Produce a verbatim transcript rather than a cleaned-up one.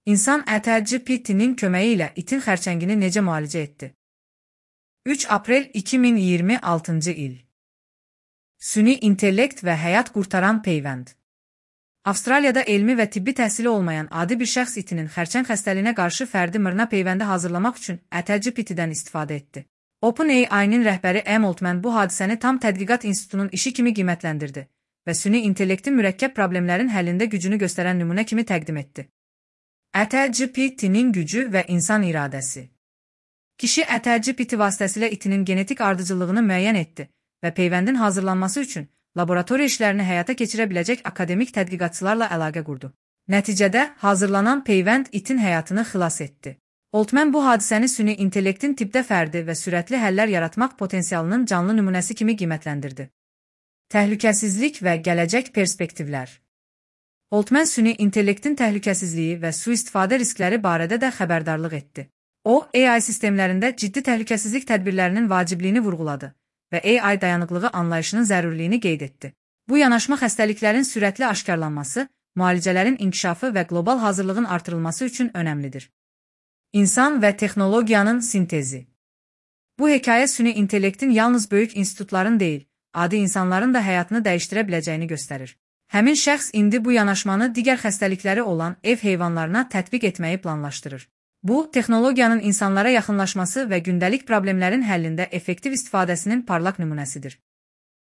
İnsan ChatGPT'nin köməyi ilə itin xərçəngini necə müalicə etdi? üç aprel iki min iyirmi altıncı il. Süni intellekt və həyat qurtaran peyvənd. Avstraliyada elmi və tibbi təhsili olmayan adi bir şəxs itinin xərçəng xəstəliyinə qarşı fərdi mRNA peyvəndi hazırlamaq üçün ChatGPT-dən istifadə etdi. OpenAI-nin rəhbəri Em Altman bu hadisəni tam tədqiqat institutunun işi kimi qiymətləndirdi və süni intellektin mürəkkəb problemlərin həllində gücünü göstərən nümunə kimi təqdim etdi. ChatGPT-nin gücü və insan iradəsi. Kişi ChatGPT vasitəsilə itinin genetik ardıcıllığını müəyyən etdi və peyvəndin hazırlanması üçün laboratoriya işlərini həyata keçirə biləcək akademik tədqiqatçılarla əlaqə qurdu. Nəticədə hazırlanan peyvənd itin həyatını xilas etdi. Altman bu hadisəni süni intellektin tibbdə fərdi və sürətli həllər yaratmaq potensialının canlı nümunəsi kimi qiymətləndirdi. Təhlükəsizlik və gələcək perspektivlər. Altman süni intellektin təhlükəsizliyi və sui-istifadə riskləri barədə də xəbərdarlıq etdi. O, A I sistemlərində ciddi təhlükəsizlik tədbirlərinin vacibliyini vurğuladı və A I dayanıqlığı anlayışının zərurliyini qeyd etdi. Bu yanaşma xəstəliklərin sürətli aşkarlanması, müalicələrin inkişafı və qlobal hazırlığın artırılması üçün önəmlidir. İnsan və texnologiyanın sintezi. Bu hekayə süni intellektin yalnız böyük institutların deyil, adi insanların da həyatını dəyişdirə biləcəyini göstərir. Həmin şəxs indi bu yanaşmanı digər xəstəlikləri olan ev heyvanlarına tətbiq etməyi planlaşdırır. Bu, texnologiyanın insanlara yaxınlaşması və gündəlik problemlərin həllində effektiv istifadəsinin parlaq nümunəsidir.